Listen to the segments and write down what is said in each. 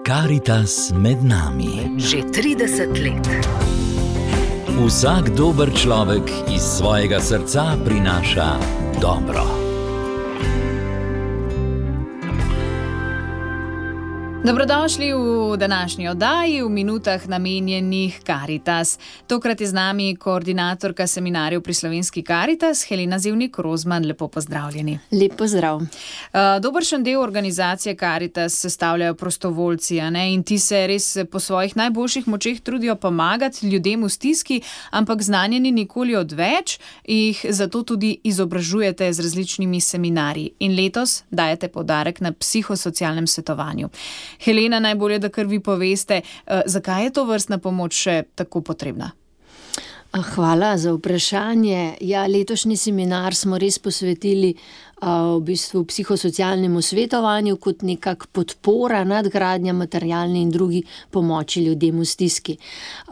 Karitas med nami. Že 30 let. Vsak dober človek iz svojega srca prinaša dobro. Dobrodošli v današnji oddaji v minutah namenjenih Karitas. Tokrat je z nami koordinatorka seminarjev pri Slovenski Karitas, Helena Zevnik-Rozman. Lepo pozdravljeni. Lep pozdrav. Dobršen del organizacije Karitas sestavljajo prostovoljci, in ti se res po svojih najboljših močeh trudijo pomagati ljudem v stiski, ampak znanje ni nikoli odveč, jih zato tudi izobražujete z različnimi seminarji. In letos dajete poudarek na psihosocialnem svetovanju. Helena, najbolje, da kar vi poveste, zakaj je to vrstna pomoč še tako potrebna? Hvala za vprašanje. Letošnji seminar smo res posvetili v bistvu psihosocialnemu svetovanju kot nekak podpora, nadgradnja materialne in drugi pomoči ljudem v stiski.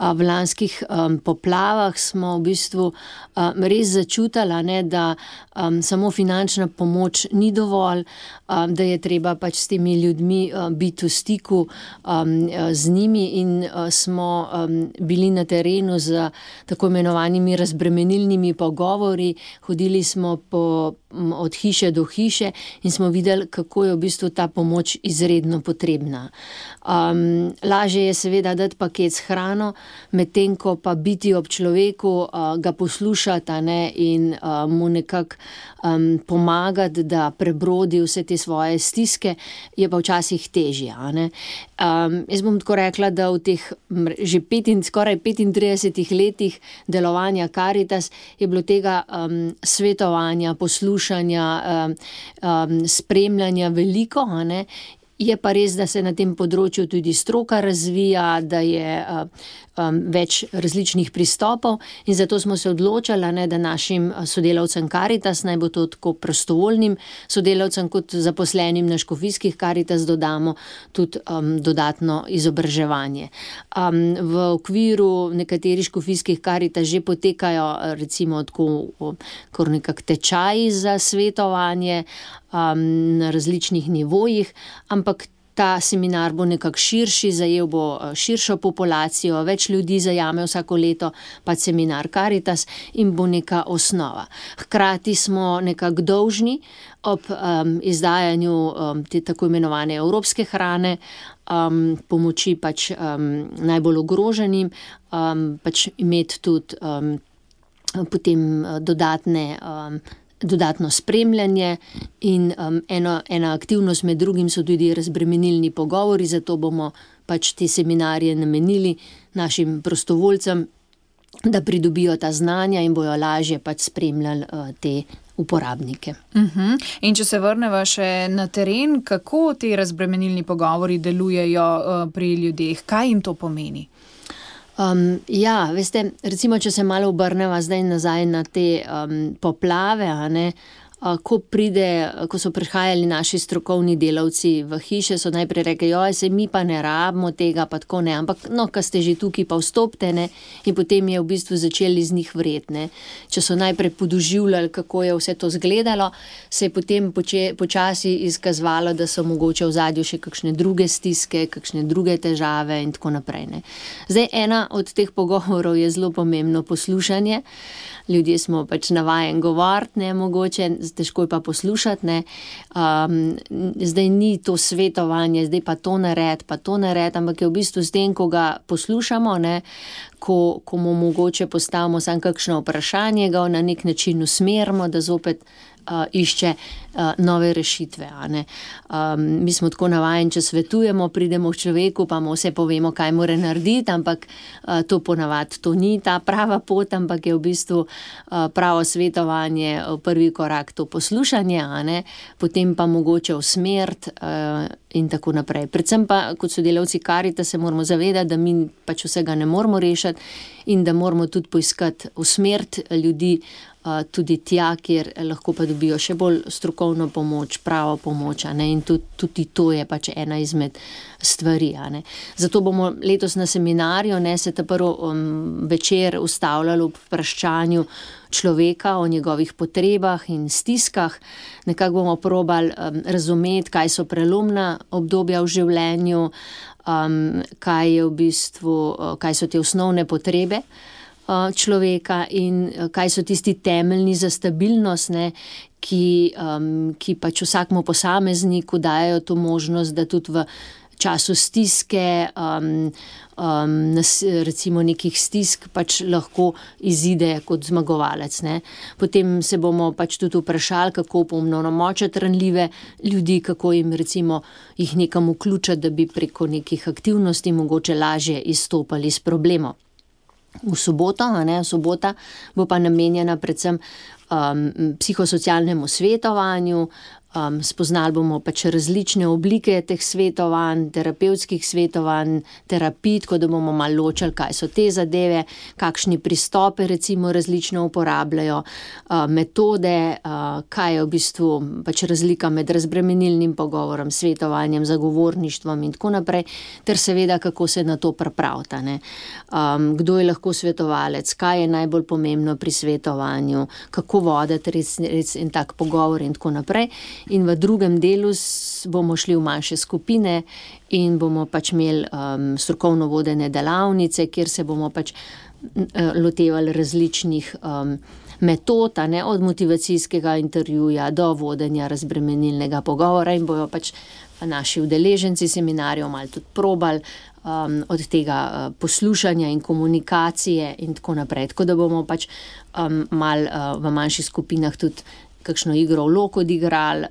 V lanskih poplavah smo v bistvu res začutili, da samo finančna pomoč ni dovolj, da je treba pač s temi ljudmi biti v stiku z njimi in smo bili na terenu z tako imenovanimi razbremenilnimi pogovori, hodili smo od hiše do hiše in smo videli, kako je v bistvu ta pomoč izredno potrebna. Lažje je seveda dati paket s hrano, medtem ko pa biti ob človeku, ga poslušati in mu nekako pomagati, da prebrodi vse te svoje stiske, je pa včasih težje. Jaz bom tako rekla, da v teh že skoraj 35 letih delovanja Karitas je bilo tega svetovanja, poslušanja, spremljanja veliko, Je pa res, da se na tem področju tudi stroka razvija, da je več različnih pristopov in zato smo se odločili, da našim sodelavcem Karitas, naj bo to tako prostovoljnim sodelavcem kot zaposlenim na škofijskih Karitas, dodamo tudi dodatno izobraževanje. V okviru nekaterih škofijskih Karitas že potekajo recimo tako kar nekak tečaji za svetovanje na različnih nivojih, ampak ta seminar bo nekako širši, zajel bo širšo populacijo, več ljudi zajame vsako leto pa seminar Karitas in bo neka osnova. Hkrati smo nekako dolžni ob izdajanju te tako imenovane evropske hrane, pomoči pač najbolj ogroženim, pač imeti tudi potem dodatno spremljanje in ena aktivnost med drugim so tudi razbremenilni pogovori, zato bomo pač te seminarje namenili našim prostovoljcem, da pridobijo ta znanja in bojo lažje pač spremljali te uporabnike. In če se vrneva še na teren, kako ti razbremenilni pogovori delujejo pri ljudeh? Kaj jim to pomeni? Veste, recimo, če se malo obrneva zdaj nazaj na te poplave, ko so prihajali naši strokovni delavci v hiše, so najprej rekli, saj mi pa ne rabimo tega, pa tako ne, ampak ko ste že tukaj, pa vstopite, in potem je v bistvu začeli iz njih vreti, Če so najprej podoživljali, kako je vse to izgledalo, se je potem počasi izkazovalo, da so mogoče v ozadju še kakšne druge stiske, kakšne druge težave in tako naprej, Zdaj, ena od teh pogovorov je zelo pomembno poslušanje. Ljudje smo pač navajeni govoriti, mogoče, težko je pa poslušati, Zdaj ni to svetovanje, zdaj pa to naredi, ampak je v bistvu s tem, ko ga poslušamo, ko mu mogoče postavimo samo kakšno vprašanje, ga na nek način usmerimo, da zopet išče nove rešitve. Mi smo tako navajeni, če svetujemo, pridemo k človeku, pa mu vse povemo, kaj mora narediti, ampak to ponavadi to ni ta prava pot, ampak je v bistvu pravo svetovanje, prvi korak to poslušanje, potem pa mogoče usmeriti in tako naprej. Predvsem pa kot sodelavci Karitas se moramo zavedati, da mi pač vsega ne moramo rešiti in da moramo tudi poiskati, usmeriti ljudi tudi tja, kjer lahko pa dobijo še bolj strokovno pomoč, pravo pomoč, in tudi to je pač ena izmed stvari. Zato bomo letos na seminarju se ta prvi večer ustavljali ob vprašanju človeka o njegovih potrebah in stiskah. Nekako bomo probali razumeti, kaj so prelomna obdobja v življenju, kaj so te osnovne potrebe človeka in kaj so tisti temeljni za stabilnost, ki pač vsakmu posamezniku dajo to možnost, da tudi v času stiske, recimo nekih stisk, pač lahko izide kot zmagovalec. Potem se bomo pač tudi vprašali, kako opolnomočiti ranljive ljudi, kako jim recimo jih nekam vključiti, da bi preko nekih aktivnosti mogoče lažje izstopali iz problemov. V soboto, sobota bo pa namenjena predvsem psihosocialnemu svetovanju. Spoznali bomo pač različne oblike teh svetovanj, terapevtskih svetovanj, terapij, tako da bomo malo ločili, kaj so te zadeve, kakšni pristope recimo različno uporabljajo, metode, kaj je v bistvu pač razlika med razbremenilnim pogovorom, svetovanjem, zagovorništvom in tako naprej, ter seveda, kako se na to pripraviti. Kdo je lahko svetovalec, kaj je najbolj pomembno pri svetovanju, kako voditi res en tak pogovor in tako naprej. In v drugem delu bomo šli v manjše skupine in bomo pač imeli strokovno vodene delavnice, kjer se bomo pač lotevali različnih metod, od motivacijskega intervjuja do vodenja razbremenilnega pogovora in bojo pač naši udeleženci seminarjev malo tudi probali od tega poslušanja in komunikacije in tako naprej. Tako da bomo pač malo v manjših skupinah tudi kakšno igro vlog odigrali,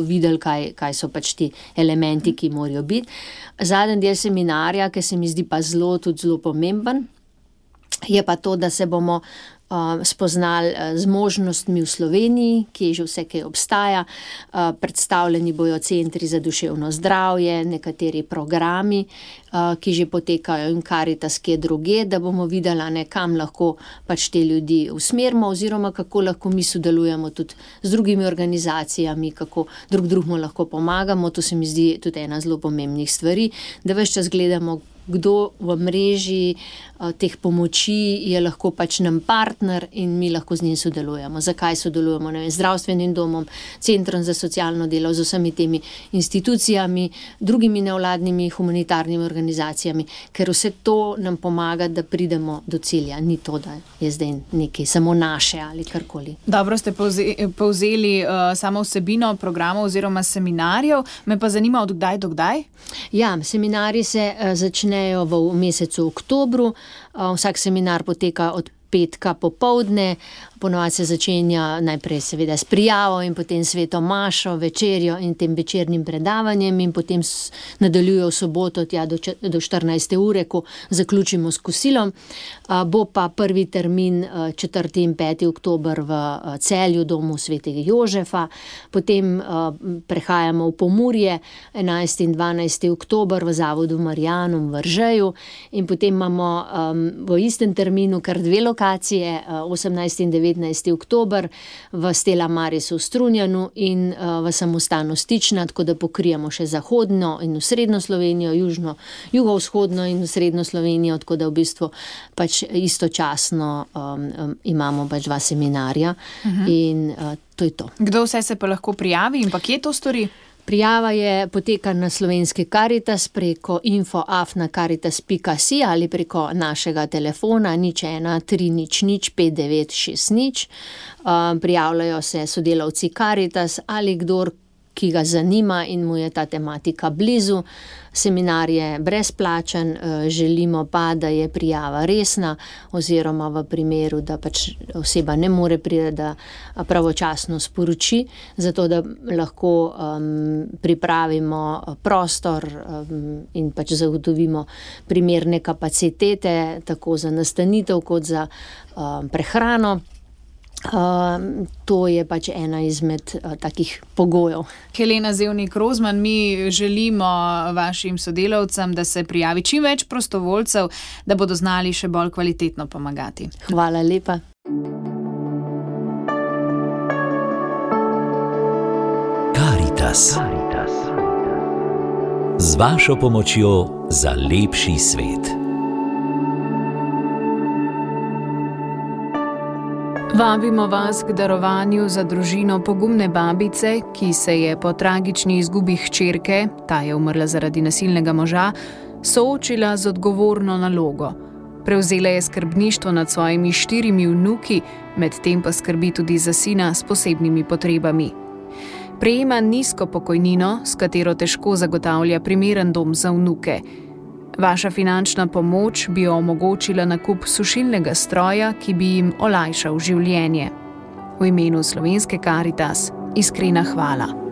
videli, kaj so pač ti elementi, ki morajo biti. Zadnji del seminarja, ki se mi zdi pa zelo pomemben, je pa to, da se bomo spoznali z možnostmi v Sloveniji, ki že vse kaj obstaja. Predstavljeni bojo centri za duševno zdravje, nekateri programi, ki že potekajo in Karitas, ki je drugje, da bomo videli, kam lahko pač te ljudi usmerimo oziroma kako lahko mi sodelujemo tudi z drugimi organizacijami, kako drugemu lahko pomagamo. To se mi zdi tudi ena zelo pomembnih stvari, da ves čas gledamo, kdo v mreži teh pomoči je lahko pač nam partner in mi lahko z njim sodelujemo. Zakaj sodelujemo? Zdravstvenim domom, centrom za socialno delo, z vsemi temi institucijami, drugimi nevladnimi humanitarnimi organizacijami, ker vse to nam pomaga, da pridemo do cilja. Ni to, da je zdaj nekaj samo naše ali karkoli. Dobro ste povzeli samo vsebino programov oziroma seminarjev. Me pa zanima, od kdaj do kdaj? Ja, seminarji se začnejo v mesecu oktobru. Vsak seminar poteka od petka popoldne, ponovadi se začenja najprej seveda s prijavo in potem sveto mašo, večerjo in tem večernim predavanjem in potem nadaljuje v soboto tja do 14. ure, ko zaključimo s kosilom. Bo pa prvi termin 4. in 5. oktober v Celju, domu svetega Jožefa, potem prehajamo v Pomurje 11. in 12. oktober v Zavodu Marijanum v Ržeju in potem imamo v istem terminu kar dve lokacije, 18. in 19. oktober v Stella Marisu v Strunjanu in v Samostanu Stična, tako da pokrijemo še zahodno in srednjo Slovenijo, jugovzhodno in srednjo Slovenijo, tako da v bistvu pač istočasno imamo pač dva seminarja in to je to. Kdo vse se pa lahko prijavi in pa kje to stori? Prijava poteka na slovenski Karitas preko info@karitas.si ali preko našega telefona 01 300 5960. Prijavljajo se sodelavci Karitas ali kdor, ki ga zanima in mu je ta tematika blizu. Seminar je brezplačen, želimo pa, da je prijava resna oziroma v primeru, da pač oseba ne more priti, da pravočasno sporoči, zato da lahko pripravimo prostor in pač zagotovimo primerne kapacitete, tako za nastanitev kot za prehrano. To je pač ena izmed takih pogojev. Helena Zevnik Rozman, mi želimo vašim sodelavcem, da se prijavi čim več prostovoljcev, da bodo znali še bolj kvalitetno pomagati. Hvala lepa. Karitas. Z vašo pomočjo za lepši svet. Vabimo vas k darovanju za družino pogumne babice, ki se je po tragični izgubi hčerke, ta je umrla zaradi nasilnega moža, soočila z odgovorno nalogo. Prevzela je skrbništvo nad svojimi 4 vnuki, medtem pa skrbi tudi za sina s posebnimi potrebami. Prejema nizko pokojnino, s katero težko zagotavlja primeren dom za vnuke. Vaša finančna pomoč bi omogočila nakup sušilnega stroja, ki bi jim olajšal življenje. V imenu Slovenske Karitas iskrena hvala.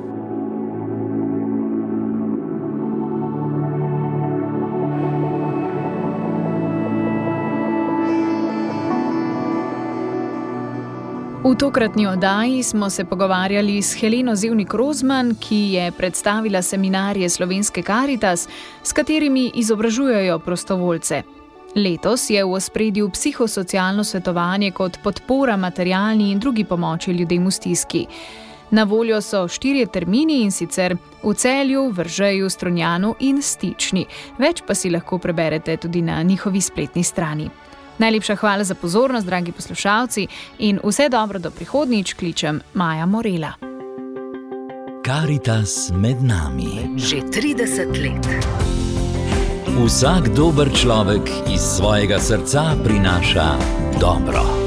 V tokratni oddaji smo se pogovarjali s Heleno Zevnik-Rozman, ki je predstavila seminarje Slovenske Karitas, s katerimi izobražujejo prostovoljce. Letos je v ospredju psihosocialno svetovanje kot podpora materialni in drugi pomoči ljudem v stiski. Na voljo so 4 termini, in sicer v Celju, Veržeju, Strunjanu in Stični. Več pa si lahko preberete tudi na njihovi spletni strani. Najlepša hvala za pozornost, dragi poslušalci, in vse dobro do prihodnjič, kličem Maja Morela. Karitas med nami. Že 30 let. Vsak dober človek iz svojega srca prinaša dobro.